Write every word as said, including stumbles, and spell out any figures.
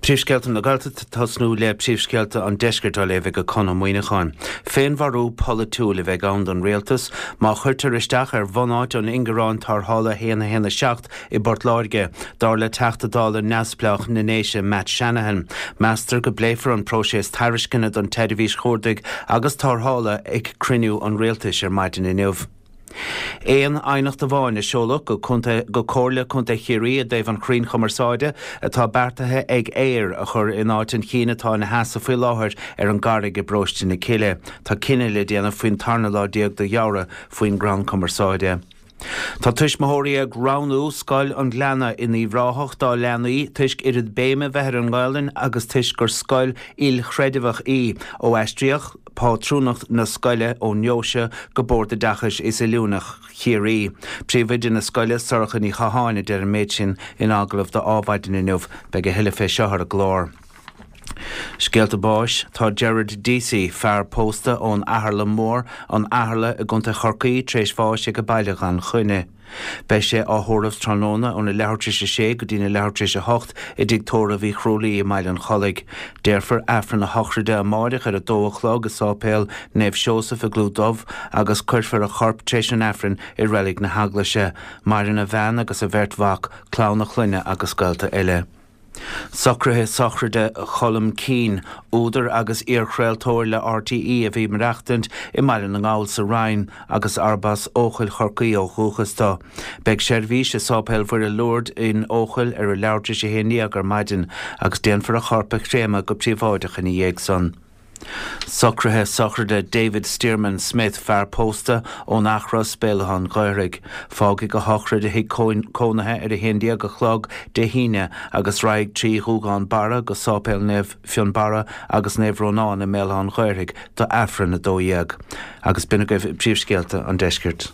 Príomhscéalta na Gaeltachta ag tosnú le príomhscéalta an deiscirt á léamh ag Conn Ó Muíneacháin. Féinmharú polaitiúil a bheidh ann don rialtas má chuirtear isteach ar bhunáit an ingearáin tarrthála haon a haon a seacht i bPort Láirge, dar le Teachta Dála neamhspleách na nDéise Matt Shanahan. Meastar go bpléifear an próiseas tairisceana don tseirbhís chuardaigh agus tarrthála ag cruinniú an rialtais ar maidin inniu. Aon aighneacht amháin a seoladh go go Comhairle Contae Chiarraí i dtaobh an chrainn chumarsáide atá beartaithe ag Eir a chur in áit an chinn atá ina sheasamh faoi láthair ar an gCarraig i bParóiste na Cille. Tá cinneadh le déanamh faoin tarna lá déag de Fheabhra faoin gcrann cumarsáide. Tá tuismitheoirí ag roghnú Scoil an Ghleanna in Uíbh Ráthach dá leanaí toisc oiread béime bheith ar an nGaelainn agus toisc gur scoil ilchreidmheach í ó aistríodh pátrúnacht na scoile ón nDeoise go Bord Oideachais is Oiliúna Chiarraí. Príomhoide na scoile Sorcha Ní Chatháin a deir an méid sin in agallamh do Adhmhaidin inniu, beidh a thuilleadh fé seo ar an gclár. Scéalta báis Tá Gerard Deasy, fear pósta ón Atharla Mór, an Atharla i gContae Chorcaí tar éis bháis ag an baile gan choinne. Beidh sé á thórramh tráthnóna óna leathuair tar éis a sé go dtína leathuair tar éis a hocht i dtigh tórraimh Uí Chrualaoi i mBaile an Chollaigh. Déarfar Aifreann a shochraide amáireach ar a dó a chlog i Sáipéal Naomh Seosamh i gClúid Dubh agus cuirfear a chorp tar éis an Aifrinn i reilig na hEaglaise. Maireann a bhean agus a bheirt mhac, clann a chlainne agus gaolta eile. Socruithe sochraide Cholm Keane, údar agus iarchraoltóir le RTÉ a bhí ag maireachtaint i mBaile na nGall sa Rinn agus arb as Eochaill Chorcaí ó dhúchas dó. Beidh seirbhís i Sáipéal Mhuire Lourdes in Eochaill ar a leathuair tar éis a haon déag ar maidin agus déanfar a chorp a chréamadh go príobháideach ina dhiaidh san. Socruithe sochraide David Stearman Smith fear pósta ón Eachros Béal Átha an Ghaorthaidh. Fágfaidh a shochraid a thigh cónaithe ar a haon déag a chlog Dé hAoine agus raghaidh trí Ghúgán Barra go Sáipéal Naomh Fionnbarra agus Naomh Rónán i mBéal Átha an Ghaorthaidh do Aifreann a dó dhéag. Agus b'in agaibh príomhscéalta an deiscirt.